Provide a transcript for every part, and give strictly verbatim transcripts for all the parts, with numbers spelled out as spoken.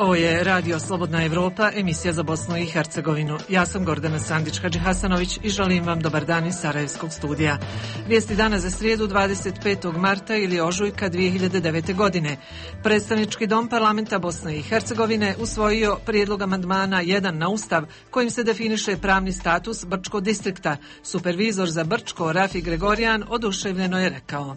Ovo je Radio Slobodna Evropa, emisija za Bosnu i Hercegovinu. Ja sam Gordana Sandić-Hadžihasanović i želim vam dobar dan iz Sarajevskog studija. Vijesti dana za srijedu dvadeset petog marta ili ožujka dvije hiljade devete. godine. Predstavnički dom parlamenta Bosne i Hercegovine usvojio prijedlog amandmana jedan na Ustav kojim se definiše pravni status Brčkog distrikta. Supervizor za Brčko Rafi Gregorijan oduševljeno je rekao: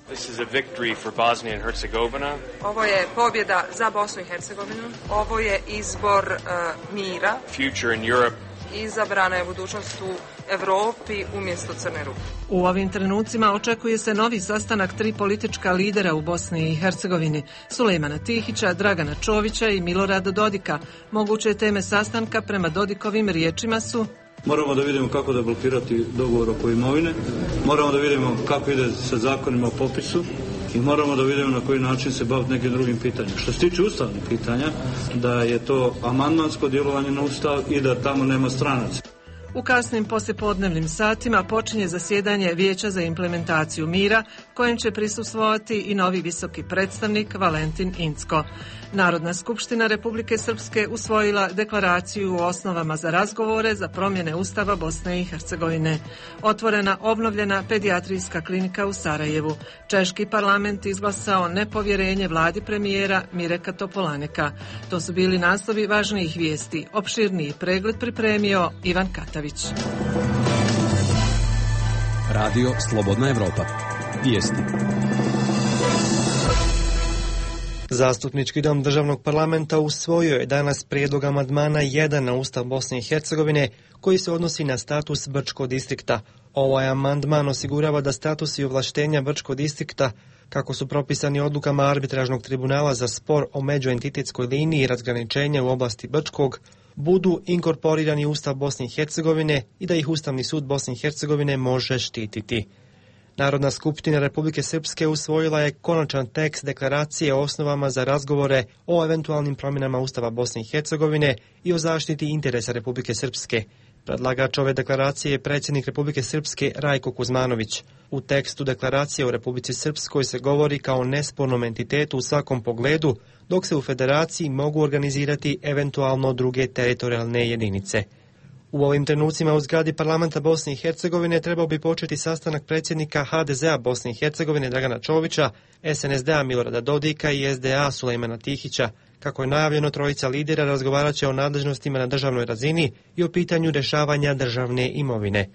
Ovo je pobjeda za Bosnu i Hercegovinu. Ovo je izbor uh, mira. Future in Europe. Izabrana je budućnost u Evropi umjesto Crne Rupe. U ovim trenucima očekuje se novi sastanak tri politička lidera u Bosni i Hercegovini, Sulejmana Tihića, Dragana Čovića i Milorada Dodika. Moguće teme sastanka prema Dodikovim riječima su: moramo da vidimo kako da blokirati dogovor oko imovine, moramo da vidimo kako ide sa zakonima o popisu i moramo da vidimo na koji način se baviti nekim drugim pitanjima. Što se tiče ustavnih pitanja, da je to amandmansko djelovanje na Ustav i da tamo nema stranaca. U kasnim poslijepodnevnim satima počinje zasjedanje Vijeća za implementaciju mira, kojem će prisustvovati i novi visoki predstavnik Valentin Incko. Narodna skupština Republike Srpske usvojila deklaraciju o osnovama za razgovore za promjene Ustava Bosne i Hercegovine. Otvorena obnovljena pedijatrijska klinika u Sarajevu. Češki parlament izglasao nepovjerenje vladi premijera Mireka Topolaneka. To su bili naslovi važnijih vijesti. Opširniji pregled pripremio Ivan Katavić. Radio Slobodna Evropa. Vijesti. Zastupnički dom državnog parlamenta usvojio je danas prijedlog amandmana jedan na Ustav Bosne i Hercegovine koji se odnosi na status Brčkog distrikta. Ovaj amandman osigurava da status i ovlaštenja Brčkog distrikta, kako su propisani odlukama arbitražnog tribunala za spor o međuentitetskoj liniji razgraničenja u oblasti Brčkog, budu inkorporirani u Ustav Bosne i Hercegovine i da ih Ustavni sud Bosne i Hercegovine može štititi. Narodna skupština Republike Srpske usvojila je konačan tekst deklaracije o osnovama za razgovore o eventualnim promjenama Ustava Bosne i Hercegovine i o zaštiti interesa Republike Srpske. Predlagač ove deklaracije je predsjednik Republike Srpske Rajko Kuzmanović. U tekstu deklaracije o Republici Srpskoj se govori kao nespornom entitetu u svakom pogledu, dok se u federaciji mogu organizirati eventualno druge teritorijalne jedinice. U ovim trenucima u zgradi parlamenta Bosne i Hercegovine trebao bi početi sastanak predsjednika ha de zea Bosne i Hercegovine Dragana Čovića, es en es de a Milorada Dodika i es de a Sulejmana Tihića. Kako je najavljeno, trojica lidera razgovarat će o nadležnostima na državnoj razini i o pitanju rješavanja državne imovine.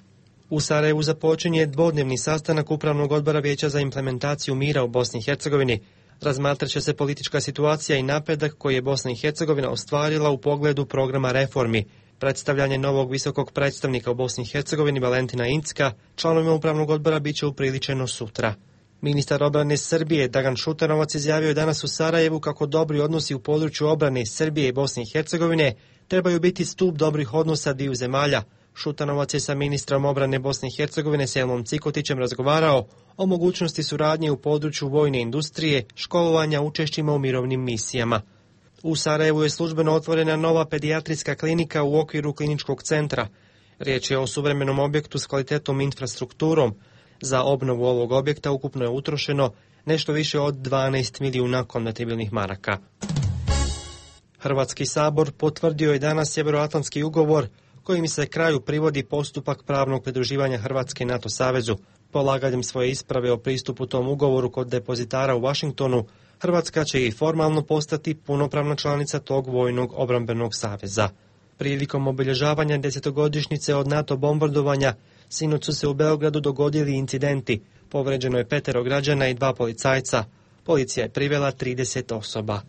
U Sarajevu započinje dvodnevni sastanak Upravnog odbora Vijeća za implementaciju mira u Bosni i Hercegovini. Razmatrat će se politička situacija i napredak koji je Bosna i Hercegovina ostvarila u pogledu programa reformi. Predstavljanje novog visokog predstavnika u Bosni i Hercegovini Valentina Incka članovima Upravnog odbora bit će upriličeno sutra. Ministar obrane Srbije Dragan Šutanovac izjavio je danas u Sarajevu kako dobri odnosi u području obrane Srbije i Bosne i Hercegovine trebaju biti stup dobrih odnosa dviju zemalja. Šutanovac je sa ministrom obrane Bosne i Hercegovine Selmom Cikotićem razgovarao o mogućnosti suradnje u području vojne industrije, školovanja, učešćima u mirovnim misijama. U Sarajevu je službeno otvorena nova pedijatrijska klinika u okviru kliničkog centra. Riječ je o suvremenom objektu s kvalitetom infrastrukturom. Za obnovu ovog objekta ukupno je utrošeno nešto više od dvanaest milijuna konvertibilnih maraka. Hrvatski sabor potvrdio je danas Sjevernoatlantski ugovor kojim se kraju privodi postupak pravnog pridruživanja Hrvatske NATO savezu. Polaganjem svoje isprave o pristupu tom ugovoru kod depozitara u Washingtonu, Hrvatska će i formalno postati punopravna članica tog vojnog obrambenog saveza. Prilikom obilježavanja desetogodišnjice od NATO bombardovanja, sinoć su se u Beogradu dogodili incidenti. Povređeno je petero građana i dva policajca. Policija je privela trideset osoba.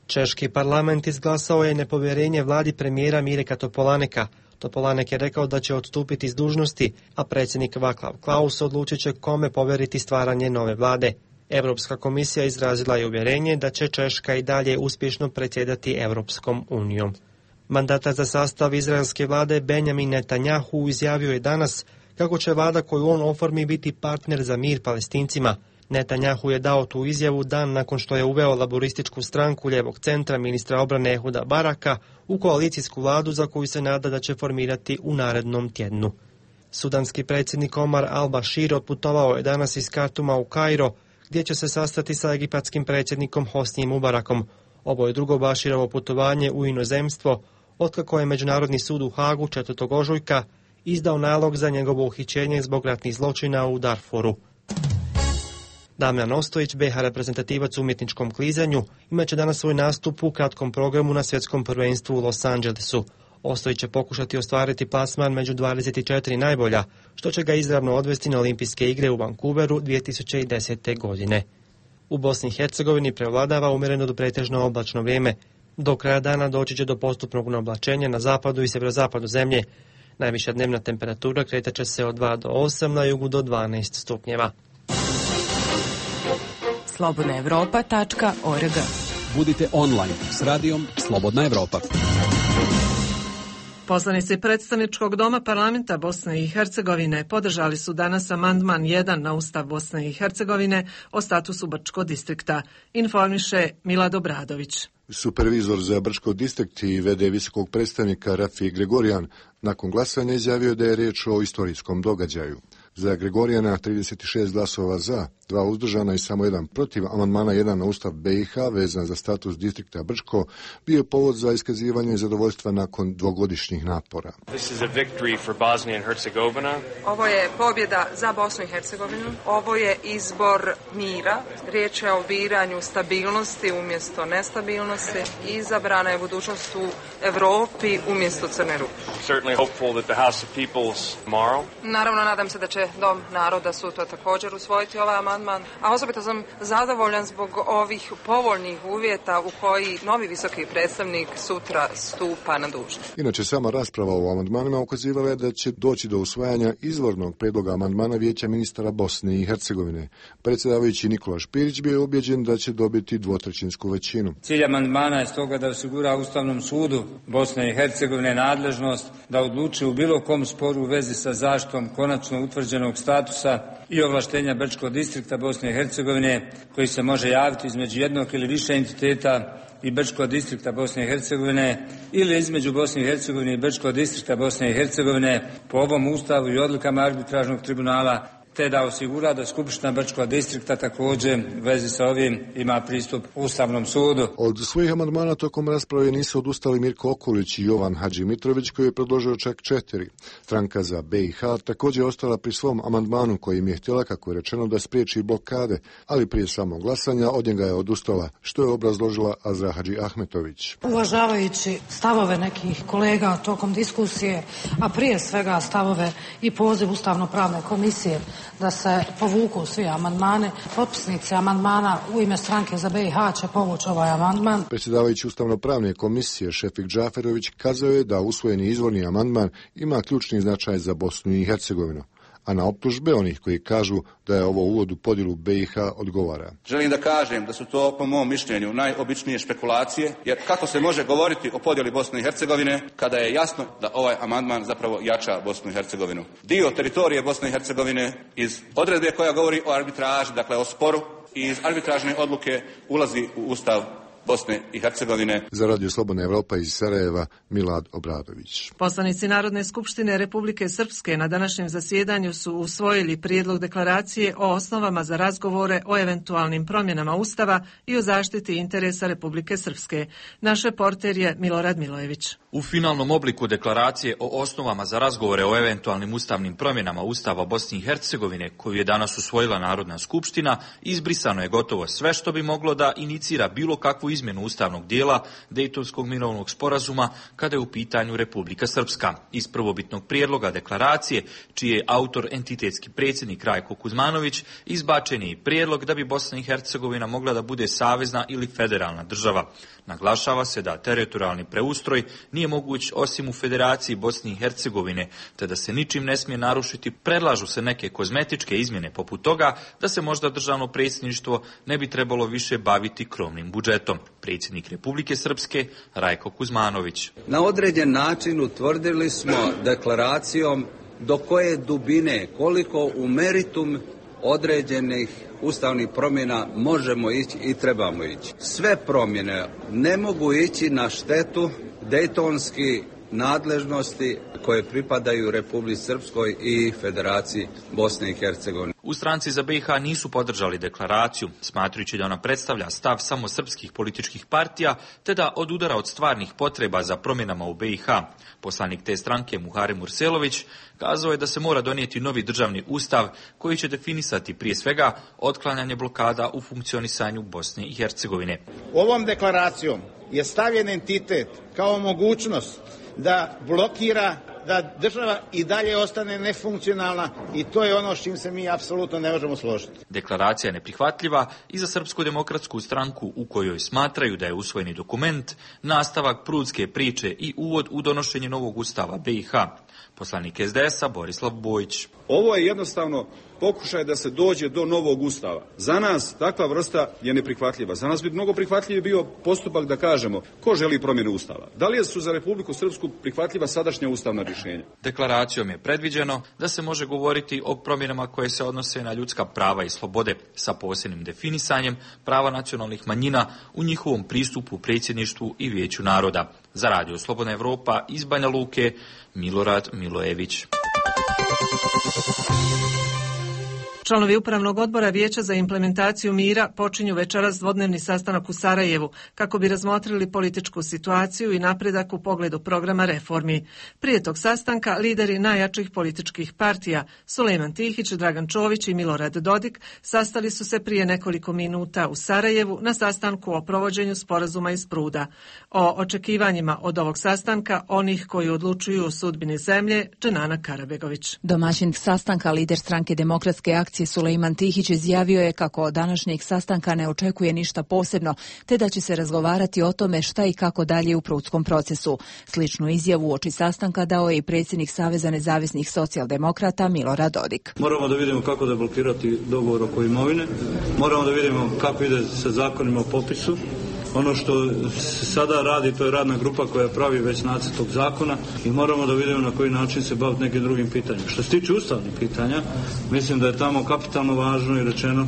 Češki parlament izglasao je nepovjerenje vladi premijera Mireka Topolaneka. Topolanek je rekao da će odstupiti s dužnosti, a predsjednik Václav Klaus odlučit će kome povjeriti stvaranje nove vlade. Europska komisija izrazila je uvjerenje da će Češka i dalje uspješno predsjedati Europskom unijom. Mandatar za sastav izraelske vlade Benjamin Netanjahu izjavio je danas kako će vlada koju on oformi biti partner za mir Palestincima. Netanjahu je dao tu izjavu dan nakon što je uveo laborističku stranku lijevog centra ministra obrane Ehuda Baraka u koalicijsku vladu za koju se nada da će formirati u narednom tjednu. Sudanski predsjednik Omar al-Bashir otputovao je danas iz Kartuma u Kairo, gdje će se sastati sa egipatskim predsjednikom Hosnijem Mubarakom. Ovo je drugo Baširovo putovanje u inozemstvo, otkako je Međunarodni sud u Hagu četvrtog ožujka izdao nalog za njegovo uhićenje zbog ratnih zločina u Darfuru. Damjan Ostojić, be ha reprezentativac u umjetničkom klizanju, imaće danas svoj nastup u kratkom programu na svjetskom prvenstvu u Los Angelesu. Ostojić će pokušati ostvariti plasman među dvadeset četiri najbolja, što će ga izravno odvesti na olimpijske igre u Vancouveru dvije tisuće desete. godine. U Bosni i Hercegovini prevladava umjereno do pretežno oblačno vrijeme. Do kraja dana doći će do postupnog oblačenja na zapadu i sjeverozapadu zemlje. Najviša dnevna temperatura kretat će se od dva do osam, na jugu do dvanaest stupnjeva. slobodna evropa tačka org. Budite online s radijom Slobodna Evropa. Poslanici predstavničkog doma parlamenta Bosne i Hercegovine podržali su danas amandman jedan na Ustav Bosne i Hercegovine o statusu Brčko distrikta, informiše Milad Obradović. Supervizor za Brčko distrikt i ve de visokog predstavnika Rafi Gregorijan nakon glasanja izjavio da je riječ o istorijskom događaju. Za Gregorijana trideset šest glasova za, dva uzdržana i samo jedan protiv amandmana jedan na Ustav be i ha vezan za status distrikta Brčko bio je povod za iskazivanje zadovoljstva nakon dvogodišnjih napora. This is a victory for Bosnia and Herzegovina. Ovo je pobjeda za Bosnu i Hercegovinu. Ovo je izbor mira. Riječ je o biranju stabilnosti umjesto nestabilnosti. Izabrana je budućnost u Evropi umjesto Crne Ruke. Certainly hopeful that the House of Peoples tomorrow. Naravno, nadam se da će Dom naroda sutra također usvojiti ovaj amandman, a osobito sam zadovoljan zbog ovih povoljnih uvjeta u koji novi visoki predstavnik sutra stupa na dužnost. Inače, sama rasprava o amandmanima ukazivala je da će doći do usvajanja izvornog predloga amandmana Vijeća ministara Bosne i Hercegovine. Predsjedavajući Nikola Špirić bio je ubjeđen da će dobiti dvotrećinsku većinu. Cilj amandmana je stoga da osigura Ustavnom sudu Bosne i Hercegovine nadležnost da odluči u bilo kom sporu u vezi sa zaštitom konačno utvrđenog statusa i ovlaštenja Brčkog distrikta Bosne i Hercegovine, koji se može javiti između jednog ili više entiteta i Brčkog distrikta Bosne i Hercegovine ili između Bosne i Hercegovine i Brčkog distrikta Bosne i Hercegovine po ovom ustavu i odlukama arbitražnog tribunala, te da osigura da Skupština Brčkog distrikta također u vezi sa ovim ima pristup Ustavnom sudu. Od svojih amandmana tokom rasprave nisu odustali Mirko Okulić i Jovan Hadži Mitrović, koji je predložio čak četiri. Stranka za be i ha također je ostala pri svom amandmanu kojim je htjela, kako je rečeno, da spriječi blokade, ali prije samog glasanja od njega je odustala, što je obrazložila Azra Hadži Ahmetović. Uvažavajući stavove nekih kolega tokom diskusije, a prije svega stavove i poziv Ustavno-pravne komisije da se povuku svi amandmani, potpisnici amandmana u ime stranke za be i ha će povući ovaj amandman. Predsjedavajući Ustavno-pravne komisije Šefik Džaferović kazao je da usvojeni izvorni amandman ima ključni značaj za Bosnu i Hercegovinu, a na optužbe onih koji kažu da je ovo uvod u podjelu be i ha odgovara. Želim da kažem da su to, po mom mišljenju, najobičnije špekulacije, jer kako se može govoriti o podjeli Bosne i Hercegovine kada je jasno da ovaj amandman zapravo jača Bosnu i Hercegovinu. Dio teritorije Bosne i Hercegovine iz odredbe koja govori o arbitraži, dakle o sporu, i iz arbitražne odluke ulazi u Ustav Bosne i Hercegovine. Za Radio Slobodna Evropa iz Sarajeva, Milad Obradović. Poslanici Narodne skupštine Republike Srpske na današnjem zasjedanju su usvojili prijedlog deklaracije o osnovama za razgovore o eventualnim promjenama Ustava i o zaštiti interesa Republike Srpske. Naš reporter je Milorad Milojević. U finalnom obliku deklaracije o osnovama za razgovore o eventualnim ustavnim promjenama Ustava Bosne i Hercegovine, koju je danas usvojila Narodna skupština, izbrisano je gotovo sve što bi moglo da inicira bilo kakvu izmjenu ustavnog dijela Dejtonskog mirovnog sporazuma kada je u pitanju Republika Srpska. Iz prvobitnog prijedloga deklaracije, čiji je autor entitetski predsjednik Rajko Kuzmanović, izbačen je i prijedlog da bi Bosna i Hercegovina mogla da bude savezna ili federalna država. Naglašava se da teritorijalni preustroj nije moguć osim u Federaciji Bosne i Hercegovine, te da se ničim ne smije narušiti. Predlažu se neke kozmetičke izmjene poput toga da se možda državno predsjedništvo ne bi trebalo više baviti krovnim budžetom. Predsjednik Republike Srpske Rajko Kuzmanović. Na određen način utvrdili smo deklaracijom do koje dubine, koliko u meritum određenih ustavnih promjena možemo ići i trebamo ići. Sve promjene ne mogu ići na štetu dejtonski nadležnosti koje pripadaju Republici Srpskoj i Federaciji Bosne i Hercegovine. U Stranci za B i H nisu podržali deklaraciju, smatrajući da ona predstavlja stav samo srpskih političkih partija, te da odudara od stvarnih potreba za promjenama u B i H. Poslanik te stranke Muharem Urselović kazao je da se mora donijeti novi državni ustav koji će definisati prije svega otklanjanje blokada u funkcionisanju Bosne i Hercegovine. Ovom deklaracijom je stavljen entitet kao mogućnost da blokira, da država i dalje ostane nefunkcionalna i to je ono s čim se mi apsolutno ne možemo složiti. Deklaracija je neprihvatljiva i za Srpsku demokratsku stranku u kojoj smatraju da je usvojeni dokument nastavak prudske priče i uvod u donošenje novog ustava B i H. Poslanik S D S-a Borislav Bojić. Ovo je jednostavno pokušaj da se dođe do novog ustava. Za nas takva vrsta je neprihvatljiva. Za nas bi mnogo prihvatljiviji bio postupak da kažemo ko želi promjenu ustava. Da li su za Republiku Srpsku prihvatljiva sadašnja ustavna rješenja? Deklaracijom je predviđeno da se može govoriti o promjenama koje se odnose na ljudska prava i slobode sa posebnim definisanjem prava nacionalnih manjina u njihovom pristupu predsjedništvu i Vijeću naroda. Za Radio Slobodna Evropa iz Banja Luke, Milorad Milojević. Članovi Upravnog odbora Vijeća za implementaciju mira počinju večeras dvodnevni sastanak u Sarajevu kako bi razmotrili političku situaciju i napredak u pogledu programa reformi. Prije tog sastanka lideri najjačih političkih partija Sulejman Tihić, Dragan Čović i Milorad Dodik sastali su se prije nekoliko minuta u Sarajevu na sastanku o provođenju sporazuma iz Pruda. O očekivanjima od ovog sastanka onih koji odlučuju o sudbini zemlje, Dženana Karabegović. Domaćin sastanka, lider stranke Demokratske akcije Sulejman Tihić izjavio je kako od današnjeg sastanka ne očekuje ništa posebno, te da će se razgovarati o tome šta i kako dalje u prudskom procesu. Sličnu izjavu uoči sastanka dao je i predsjednik Saveza nezavisnih socijaldemokrata Milorad Dodik. Moramo da vidimo kako da blokirati dogovor oko imovine, moramo da vidimo kako ide sa zakonima o popisu. Ono što se sada radi, to je radna grupa koja pravi već nacrt tog zakona i moramo da vidimo na koji način se baviti nekim drugim pitanjima. Što se tiče ustavnih pitanja, mislim da je tamo kapitalno važno i rečeno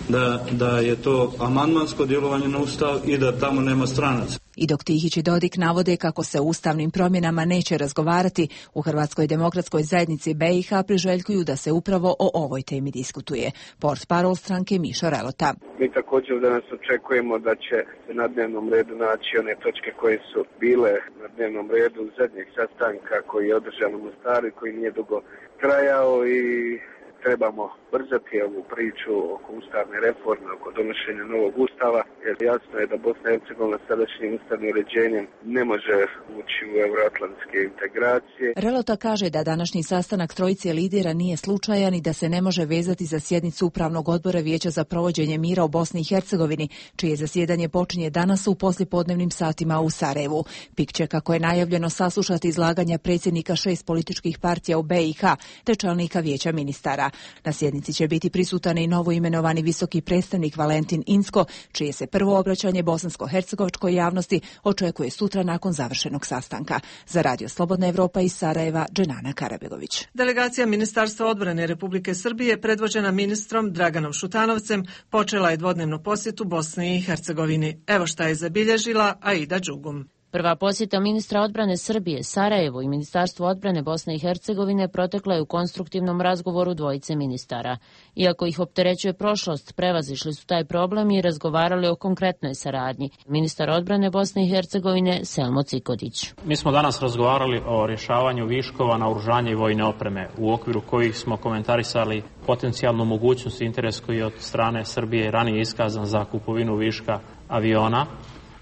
da, da je to amandmansko djelovanje na ustav i da tamo nema stranaca. I dok Tihić i Dodik navode kako se o ustavnim promjenama neće razgovarati, u Hrvatskoj demokratskoj zajednici B i H priželjkuju da se upravo o ovoj temi diskutuje. Portparol stranke Mišo Relota. Mi također danas očekujemo da će se na dnevnom redu naći one točke koje su bile na dnevnom redu zadnjeg sastanka koji je održan u Mostaru i koji nije dugo trajao i trebamo brzati ovu priču oko ustavne reforme, oko donošenja novog ustava, jer jasno je da Bosna i Hercegovina sadašnjim ustavnim uređenjem ne može ući u euroatlantske integracije. Relota kaže da današnji sastanak trojice lidera nije slučajan i da se ne može vezati za sjednicu Upravnog odbora Vijeća za provođenje mira u Bosni i Hercegovini, čije zasjedanje počinje danas u poslijepodnevnim satima u Sarajevu. P I K će, kako je najavljeno, saslušati izlaganja predsjednika šest političkih partija u B i H te čelnika Vijeća ministara. Na sjednici će biti prisutan i novoimenovani visoki predstavnik Valentin Incko, čije se prvo obraćanje bosansko-hercegovačkoj javnosti očekuje sutra nakon završenog sastanka. Za Radio Slobodna Evropa iz Sarajeva, Dženana Karabegović. Delegacija Ministarstva odbrane Republike Srbije, predvođena ministrom Draganom Šutanovcem, počela je dvodnevnu posjetu Bosni i Hercegovini. Evo šta je zabilježila Aida Đugum. Prva posjeta ministra odbrane Srbije, Sarajevo i Ministarstvo odbrane Bosne i Hercegovine protekla je u konstruktivnom razgovoru dvojice ministara. Iako ih opterećuje prošlost, prevazišli su taj problem i razgovarali o konkretnoj saradnji. Ministar odbrane Bosne i Hercegovine Selmo Cikodić. Mi smo danas razgovarali o rješavanju viškova naoružanja i vojne opreme, u okviru kojih smo komentarisali potencijalnu mogućnost i interes koji je od strane Srbije ranije iskazan za kupovinu viška aviona,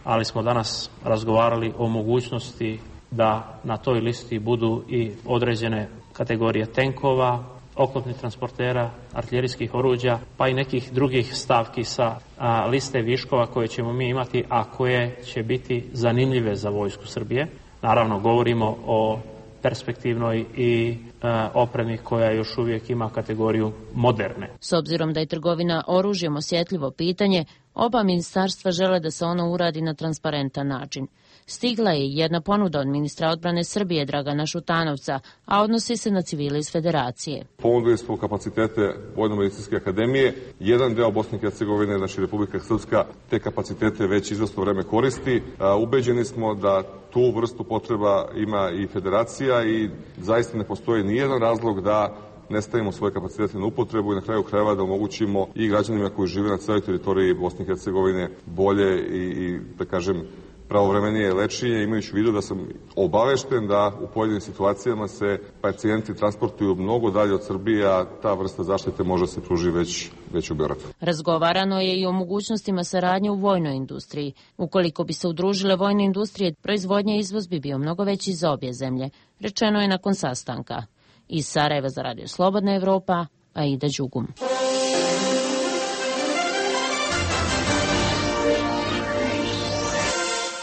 ali smo danas razgovarali o mogućnosti da na toj listi budu i određene kategorije tenkova, oklopnih transportera, artiljerijskih oruđa, pa i nekih drugih stavki sa a, liste viškova koje ćemo mi imati, a koje će biti zanimljive za vojsku Srbije. Naravno, govorimo o perspektivnoj i e, opremi koja još uvijek ima kategoriju moderne. S obzirom da je trgovina oružjem osjetljivo pitanje, oba ministarstva žele da se ono uradi na transparentan način. Stigla je jedna ponuda od ministra odbrane Srbije Dragana Šutanovca, a odnosi se na civile iz Federacije. Ponudili smo kapacitete Vojno-medicinske akademije. Jedan deo Bosne i Hercegovine, znači Republika Srpska, te kapacitete već izvesno vreme koristi. Ubeđeni smo da tu vrstu potreba ima i Federacija i zaista ne postoji nijedan razlog da ne stavimo svoje kapacitete na upotrebu i na kraju krajeva da omogućimo i građanima koji žive na celoj teritoriji Bosne i Hercegovine bolje i, i da kažem, pravovremenije lečenje, imajući u vidu da sam obavešten da u pojedinim situacijama se pacijenti transportuju mnogo dalje od Srbije, a ta vrsta zaštite može se pruži već, već u Beogradu. Razgovarano je i o mogućnostima saradnje u vojnoj industriji. Ukoliko bi se udružile vojne industrije, proizvodnja i izvoz bi bio mnogo veći za obje zemlje, rečeno je nakon sastanka. Iz Sarajeva za Radio Slobodna Evropa, Aida Đugum.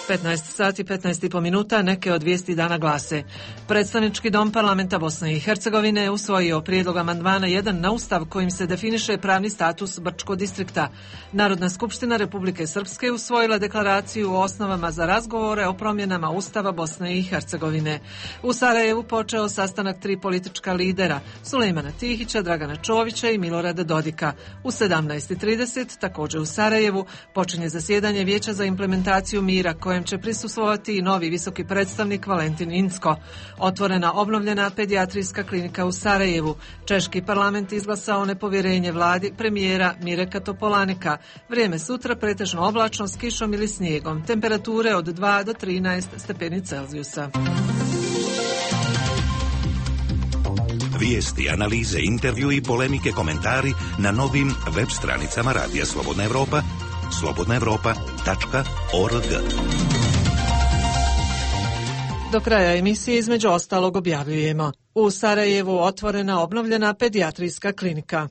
petnaest sati petnaest i po minuta, neke od vijesti dana glase. Predstavnički dom parlamenta Bosne i Hercegovine je usvojio prijedlog amandmana jedan na ustav kojim se definiše pravni status Brčkog distrikta. Narodna skupština Republike Srpske usvojila deklaraciju o osnovama za razgovore o promjenama ustava Bosne i Hercegovine. U Sarajevu počeo sastanak tri politička lidera, Sulejmana Tihića, Dragana Čovića i Milorada Dodika. U sedamnaest i trideset također u Sarajevu počinje zasjedanje Vijeća za implementaciju mira koje će prisustvovati i novi visoki predstavnik Valentin Incko. Otvorena obnovljena pedijatrijska klinika u Sarajevu. Češki parlament izglasao nepovjerenje vladi premijera Mireka Topolanika. Vrijeme sutra pretežno oblačno s kišom ili snijegom. Temperature od dva do trinaest stepeni Celzijusa. Vijesti, analize, intervju i polemike, komentari na novim web stranicama Radija Slobodna Evropa, slobodna evropa tačka org. Do kraja emisije između ostalog objavljujemo: u Sarajevu otvorena obnovljena pedijatrijska klinika.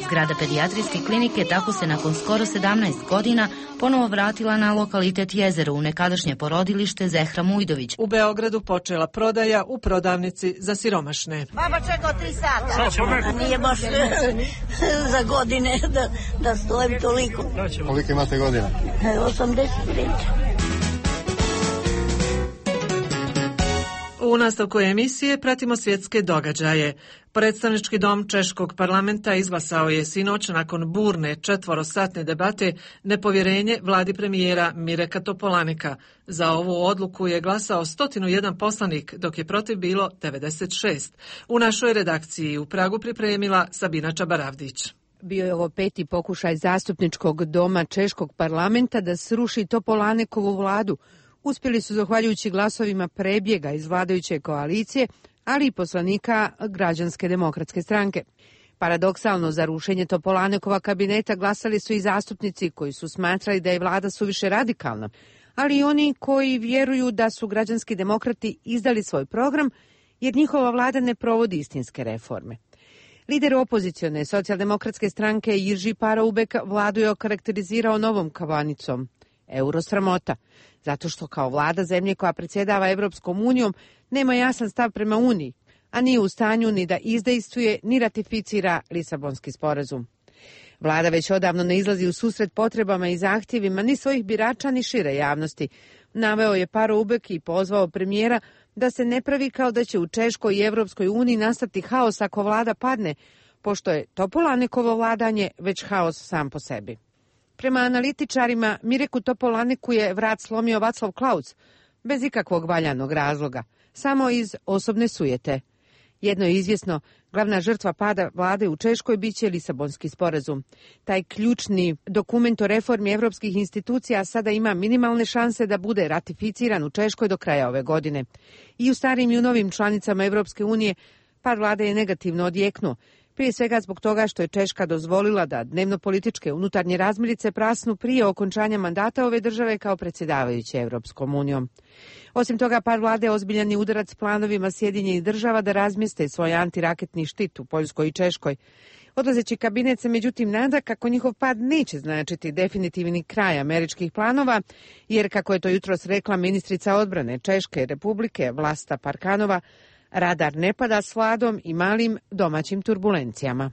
Zgrada pedijatrijske klinike tako se nakon skoro sedamnaest godina ponovo vratila na lokalitet Jezero u nekadašnje porodilište Zehra Mujdović. U Beogradu počela prodaja u prodavnici za siromašne. Baba čekao tri sata. Nije baš za godine da, da stojim toliko. Koliko imate godina? osamdeset pet. U nastavku emisije pratimo svjetske događaje. Predstavnički dom Češkog parlamenta izglasao je sinoć nakon burne četvorosatne debate nepovjerenje vladi premijera Mireka Topolanika. Za ovu odluku je glasao sto jedan poslanik, dok je protiv bilo devedeset šest. U našoj redakciji u Pragu pripremila Sabina Čabaravdić. Bio je ovo peti pokušaj zastupničkog doma Češkog parlamenta da sruši Topolanikovu vladu. Uspjeli su zahvaljujući glasovima prebjega iz vladajuće koalicije, ali i poslanika Građanske demokratske stranke. Paradoksalno, za rušenje Topolanekova kabineta glasali su i zastupnici koji su smatrali da je vlada suviše radikalna, ali i oni koji vjeruju da su građanski demokrati izdali svoj program jer njihova vlada ne provodi istinske reforme. Lider opozicione socijaldemokratske stranke Jirži Paraubek vladu je okarakterizirao novom kavanicom. Eurosramota, zato što kao vlada zemlje koja predsjedava Evropskom unijom nema jasan stav prema Uniji, a nije u stanju ni da izdejstvuje ni ratificira Lisabonski sporazum. Vlada već odavno ne izlazi u susret potrebama i zahtjevima ni svojih birača ni šire javnosti. Naveo je Paroubek i pozvao premijera da se ne pravi kao da će u Češkoj i Evropskoj uniji nastati haos ako vlada padne, pošto je Topolanikovo vladanje već haos sam po sebi. Prema analitičarima, Mireku Topolaniku je vrat slomio Vaclav Klaus, bez ikakvog valjanog razloga, samo iz osobne sujete. Jedno je izvjesno, glavna žrtva pada vlade u Češkoj biće Lisabonski sporazum. Taj ključni dokument o reformi evropskih institucija sada ima minimalne šanse da bude ratificiran u Češkoj do kraja ove godine. I u starim i u novim članicama Evropske unije pad vlade je negativno odjeknuo. Prije svega zbog toga što je Češka dozvolila da dnevno-političke unutarnje razmirice prasnu prije okončanja mandata ove države kao predsjedavajuće Evropskom unijom. Osim toga, pad vlade je ozbiljan i udarac planovima Sjedinjenih država da razmjeste svoj antiraketni štit u Poljskoj i Češkoj. Odlazeći kabinet se međutim nada kako njihov pad neće značiti definitivni kraj američkih planova, jer kako je to jutros rekla ministrica odbrane Češke republike Vlasta Parkanova, radar ne pada s vladom i malim domaćim turbulencijama.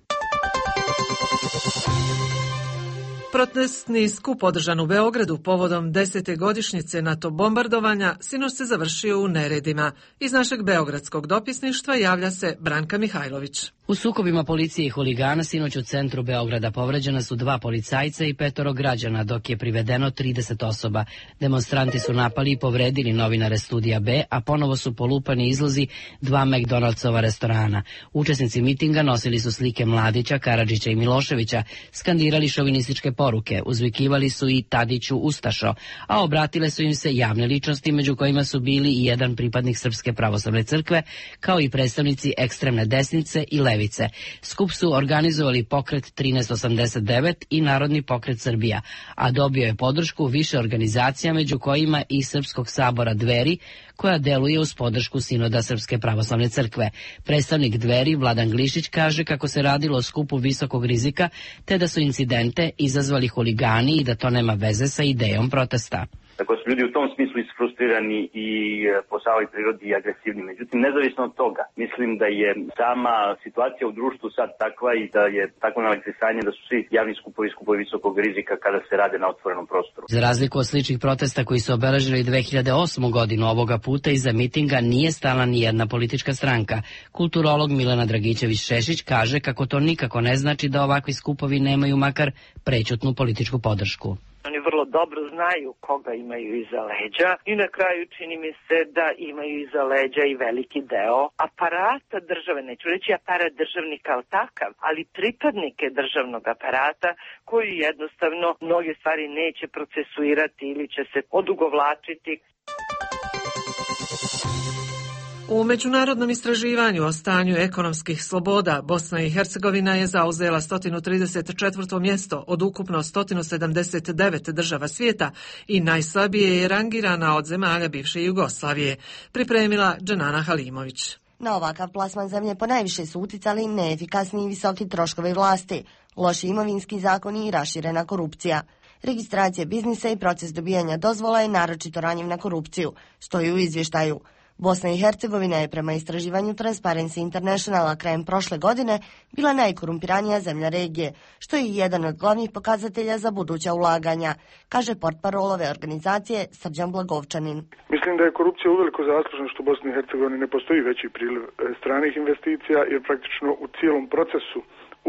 Protestni skup održan u Beogradu povodom desete godišnjice NATO bombardovanja sinoć se završio u neredima. Iz našeg beogradskog dopisništva javlja se Branka Mihajlović. U sukobima policije i huligana sinoć u centru Beograda povređena su dva policajca i petoro građana, dok je privedeno trideset osoba. Demonstranti su napali i povredili novinare Studija B, a ponovo su polupani izlozi dva McDonaldsova restorana. Učesnici mitinga nosili su slike Mladića, Karadžića i Miloševića, skandirali šovinističke poruke, uzvikivali su i Tadiću Ustašo, a obratile su im se javne ličnosti, među kojima su bili i jedan pripadnik Srpske pravoslavne crkve, kao i predstavnici ekstremne desnice i levice. Skup su organizovali pokret trinaest osamdeset devet i Narodni pokret Srbija, a dobio je podršku više organizacija, među kojima i Srpskog sabora Dveri, koja deluje uz podršku Sinoda Srpske pravoslavne crkve. Predstavnik Dveri, Vladan Glišić, kaže kako se radilo o skupu visokog rizika, te da su incidente izazvali huligani i da to nema veze sa idejom protesta. Tako su ljudi u tom smislu isfrustrirani i po samoj prirodi i agresivni. Međutim, nezavisno od toga, mislim da je sama situacija u društvu sad takva i da je takvo nalektisanje da su svi javni skupovi skupovi visokog rizika kada se rade na otvorenom prostoru. Za razliku od sličnih protesta koji su obeležili dve hiljade osmu godinu, ovoga puta iza mitinga nije stala ni jedna politička stranka. Kulturolog Milena Dragićević-Šešić kaže kako to nikako ne znači da ovakvi skupovi nemaju makar prećutnu političku podršku. Oni vrlo dobro znaju koga imaju iza leđa i na kraju čini mi se da imaju iza leđa i veliki deo aparata države, neću reći aparat državni kao takav, ali pripadnike državnog aparata koji jednostavno mnoge stvari neće procesuirati ili će se odugovlačiti. U međunarodnom istraživanju o stanju ekonomskih sloboda Bosna i Hercegovina je zauzela sto trideset četvrto mjesto od ukupno sto sedamdeset devet država svijeta i najslabije je rangirana od zemalja bivše Jugoslavije, pripremila Dženana Halimović. Na ovakav plasman zemlje ponajviše su uticali neefikasni i visoki troškovi vlasti, loši imovinski zakoni i raširena korupcija. Registracija biznisa i proces dobijanja dozvola je naročito ranjiv na korupciju, stoji u izvještaju. Bosna i Hercegovina je prema istraživanju Transparency Internationala krajem prošle godine bila najkorumpiranija zemlja regije, što je jedan od glavnih pokazatelja za buduća ulaganja, kaže portparol ove organizacije Srđan Blagovčanin. Mislim da je korupcija uveliko zaslužna što u Bosni i Hercegovini ne postoji veći priliv stranih investicija, jer praktično u cijelom procesu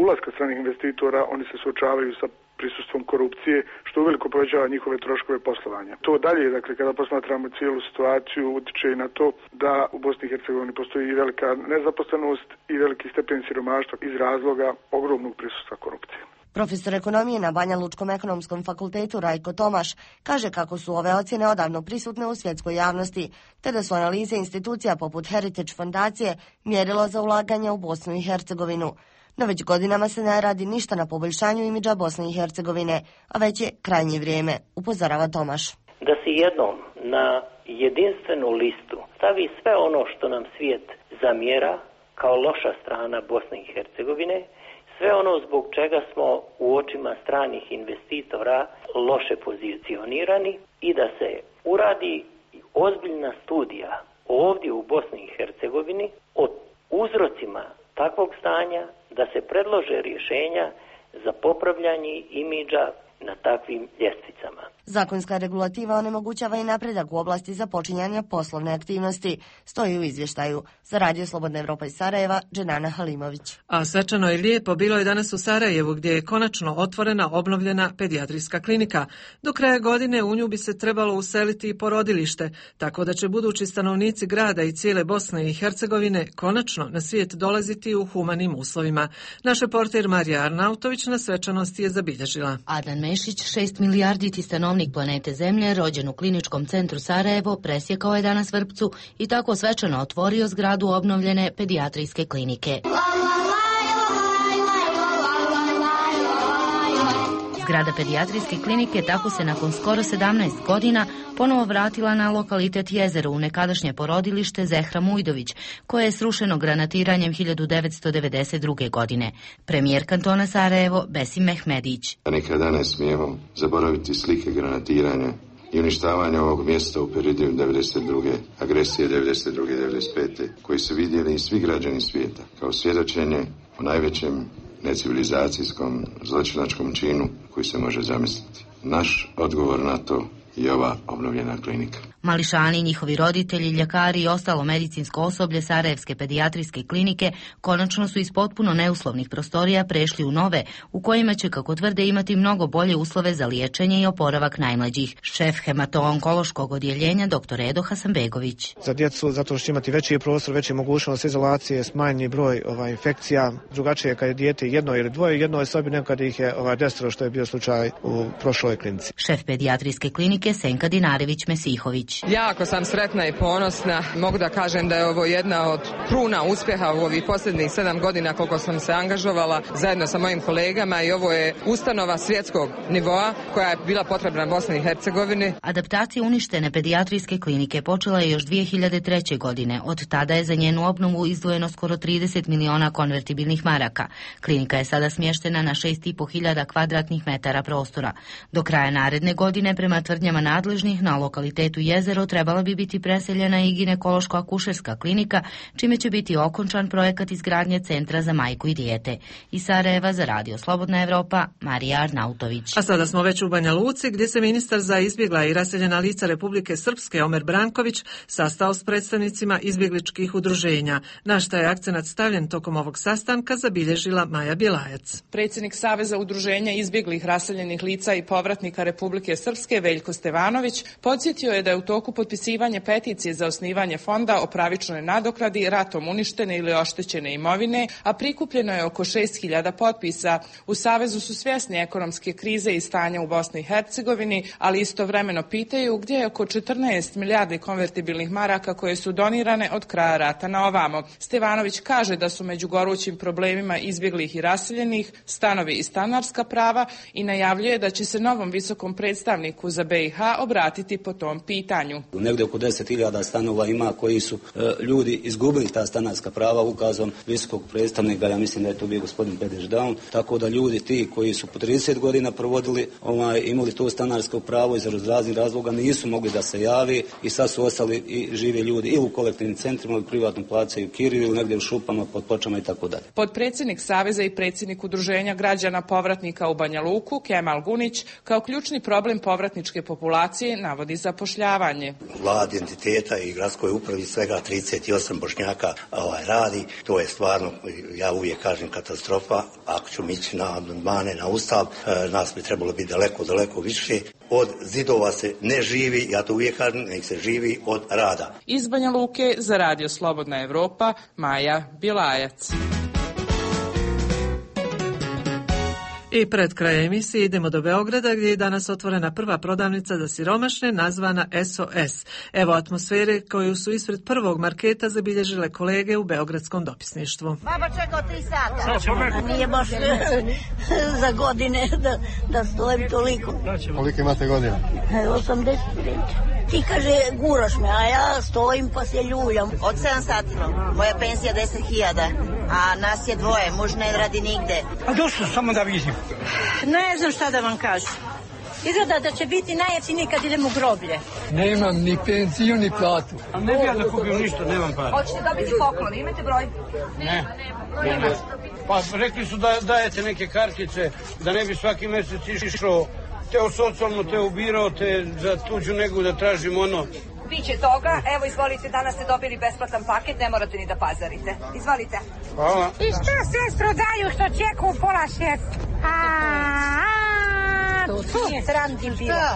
ulaska stranih investitora oni se suočavaju sa prisustvom korupcije, što uveliko povećava njihove troškove poslovanja. To dalje, dakle, kada posmatramo cijelu situaciju, utiče i na to da u Bosni i Hercegovini postoji i velika nezaposlenost i veliki stepen siromaštva iz razloga ogromnog prisustva korupcije. Profesor ekonomije na Banja Lučkom ekonomskom fakultetu Rajko Tomaš kaže kako su ove ocjene odavno prisutne u svjetskoj javnosti, te da su analize institucija poput Heritage fondacije mjerilo za ulaganje u Bosnu i Hercegovinu. No već godinama se ne radi ništa na poboljšanju imidža Bosne i Hercegovine, a već je krajnje vrijeme, upozorava Tomaš. Da se jednom na jedinstvenu listu stavi sve ono što nam svijet zamjera kao loša strana Bosne i Hercegovine, sve ono zbog čega smo u očima stranih investitora loše pozicionirani i da se uradi ozbiljna studija ovdje u Bosni i Hercegovini o uzrocima takvog stanja, da se predlože rješenja za popravljanje imidža na takvim ljestvicama. Zakonska regulativa onemogućava i napredak u oblasti započinjanja poslovne aktivnosti, stoji u izvještaju. Za Radio Slobodna Evropa iz Sarajeva, Dženana Halimović. A svečano i lijepo bilo je danas u Sarajevu, gdje je konačno otvorena obnovljena pedijatrijska klinika. Do kraja godine u nju bi se trebalo useliti i porodilište, tako da će budući stanovnici grada i cijele Bosne i Hercegovine konačno na svijet dolaziti u humanim uslovima. Naš reporter Marija Arnautović na svečanosti je zabilježila. Adnan Mešić, šest milijarditi stanovnik planete Zemlje, rođen u kliničkom centru Sarajevo, presjekao je danas vrpcu i tako svečano otvorio zgradu obnovljene pedijatrijske klinike. Zgrada pedijatrijske klinike tako se nakon skoro sedamnaest godina ponovo vratila na lokalitet Jezero u nekadašnje porodilište Zehra Mujdović, koje je srušeno granatiranjem hiljadu devetsto devedeset druge. godine. Premijer kantona Sarajevo Besim Mehmedić. Nikada ne smijemo zaboraviti slike granatiranja i uništavanja ovog mjesta u periodu devedeset druge. agresije devedeset druge. devedeset pete. koji su vidjeli i svi građani svijeta kao svjedočenje o najvećem necivilizacijskom zločinačkom činu koji se može zamisliti. Naš odgovor na to je ova obnovljena klinika. Mališani, njihovi roditelji, ljekari i ostalo medicinsko osoblje Sarajevske pedijatrijske klinike konačno su iz potpuno neuslovnih prostorija prešli u nove, u kojima će, kako tvrde, imati mnogo bolje uslove za liječenje i oporavak najmlađih. Šef hemato-onkološkog odjeljenja dr. Edo Hasanbegović. Za djecu, zato što će imati veći prostor, veći mogućnost izolacije, smanjeni broj ovaj, infekcija, drugačije kad je dijete jedno ili dvoje, jedno je sobi, nego kad ih je ovaj, desetoro, što je bio slučaj u prošloj klinici. Šef pedijatrijske klinike Senka Dinarević-Mesihović. Jako sam sretna i ponosna. Mogu da kažem da je ovo jedna od kruna uspjeha u ovih posljednjih sedam godina koliko sam se angažovala zajedno sa mojim kolegama i ovo je ustanova svjetskog nivoa koja je bila potrebna Bosni i Hercegovini. Adaptacija uništene pedijatrijske klinike počela je još dvije hiljade treće. godine. Od tada je za njenu obnovu izdvojeno skoro trideset miliona konvertibilnih maraka. Klinika je sada smještena na šest i po hiljada kvadratnih metara prostora. Do kraja naredne godine, prema tvrdnjama nadležnih, na lokalitetu Jezero trebala bi biti preseljena i ginekološko-akušerska klinika, čime će biti okončan projekat izgradnje centra za majku i dijete. Iz Sarajeva za Radio Slobodna Evropa, Marija Arnautović. A sada smo već u Banja Luci, gdje se ministar za izbjegla i raseljena lica Republike Srpske Omer Branković sastao s predstavnicima izbjegličkih udruženja. Na šta je akcenat stavljen tokom ovog sastanka, zabilježila Maja Bjelajac. Predsjednik Saveza udruženja izbjeglih raseljenih lica i povratnika Republike Srpske Veljko Stevanović podsjetio je da je u toku potpisivanje peticije za osnivanje fonda o pravičnoj nadoknadi ratom uništene ili oštećene imovine, a prikupljeno je oko šest hiljada potpisa. U Savezu su svjesni ekonomske krize i stanja u Bosni i Hercegovini, ali istovremeno pitaju gdje je oko četrnaest milijardi konvertibilnih maraka koje su donirane od kraja rata na ovamo. Stevanović kaže da su među gorućim problemima izbjeglih i raseljenih stanovi i stanarska prava i najavljuje da će se novom visokom predstavniku za B i H obratiti po tom pitanju. Negdje oko deset hiljada stanova ima koji su e, ljudi izgubili ta stanarska prava ukazom visokog predstavnika, ja mislim da je to bio gospodin Pedeš Daun, tako da ljudi ti koji su po trideset godina provodili, ovaj, imali to stanarsko pravo iz raznih razloga nisu mogli da se javi i sad su ostali i živi ljudi ili u kolektivnim centrima ili privatnom plaćaju kiriju ili negdje u šupama, pod pločama i tako dalje. Podpredsjednik Saveza i predsjednik Udruženja građana povratnika u Banja Luku, Kemal Gunić, kao ključni problem povratničke populacije navodi zapošljavanje. Vlada entiteta i gradskoj upravi svega trideset osam Bošnjaka ovaj, radi. To je stvarno, ja uvijek kažem, katastrofa. Ako ćemo ići na amandmane, na ustav, nas bi trebalo biti daleko, daleko više. Od zidova se ne živi, ja to uvijek kažem, nek se živi od rada. Iz Banja Luke za Radio Slobodna Evropa, Maja Bjelajac. I pred kraj emisije idemo do Beograda, gdje je danas otvorena prva prodavnica za siromašne nazvana S O S. Evo atmosfere koju su ispred prvog marketa zabilježile kolege u beogradskom dopisništvu. Baba čekao tri sata. Nije baš za godine da, da stojim toliko. Koliko imate godina? osamdeset pet. Ti kaže guraš me, a ja stojim pa se ljuljam. Od sedam sati, moja pensija deset hiljada, a nas je dvoje, muž ne radi nigde. A došlo samo da vidim. Ne znam šta da vam kažem. Izgleda da će biti najjeftiniji kad idemo u groblje. Nemam ni pensiju, ni platu. A ne bi ja da kupim ništa, nemam para. Hoćete dobiti poklon, imate broj? Ne. Nema. Pa rekli su da dajete neke kartice, da ne bi svaki mjesec išao te u socijalno, te ubirao, te za tuđu negu da tražim ono. Biće toga, evo izvolite, danas ste dobili besplatan paket, ne morate ni da pazarite. Izvolite. Hvala. I što sestro daju što čeku u pola šest? To nije sramtim bilo.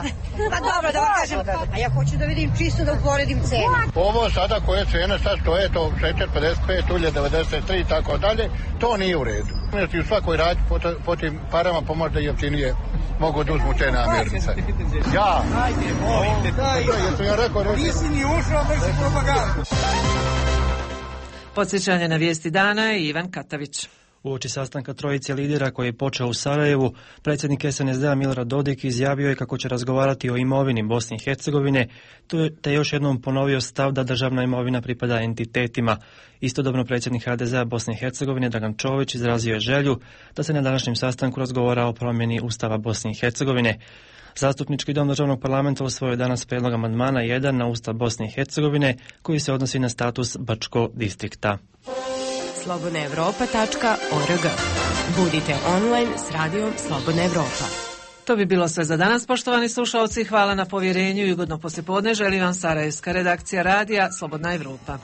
Pa dobro, da vam kažem. A ja hoću da vidim čisto da uporedim cenu. Ovo sada koje cene sad stoje, to šećer pedeset pet, ulje devedeset tri i tako dalje, to nije u redu. Ti u svakoj radi po, po tim parama pomožda jeftinije mogu da uzmu te namirnice. Ja. Ajde, molim te. Jesam ja rekao, nisi ni ušao, vrši propagandu. Podsjećanje na vijesti dana je Ivan Katavić. Uoči sastanka trojice lidera koji je počeo u Sarajevu, predsjednik S N S D-a Milorad Dodik izjavio je kako će razgovarati o imovini Bosne i Hercegovine, te još jednom ponovio stav da državna imovina pripada entitetima. Istodobno predsjednik H D Z-a Bosne i Hercegovine Dragan Čović izrazio je želju da se na današnjem sastanku razgovara o promjeni Ustava Bosne i Hercegovine. Zastupnički dom državnog parlamenta usvojio je danas prijedlog amandmana jedan na Ustav Bosne i Hercegovine koji se odnosi na status Bačko distrikta. slobodna evropa tačka org. Budite online s radijom Slobodna Evropa. To bi bilo sve za danas, poštovani slušalci. Hvala na povjerenju i ugodno poslijepodne. Želim vam sarajevska redakcija radija Slobodna Evropa.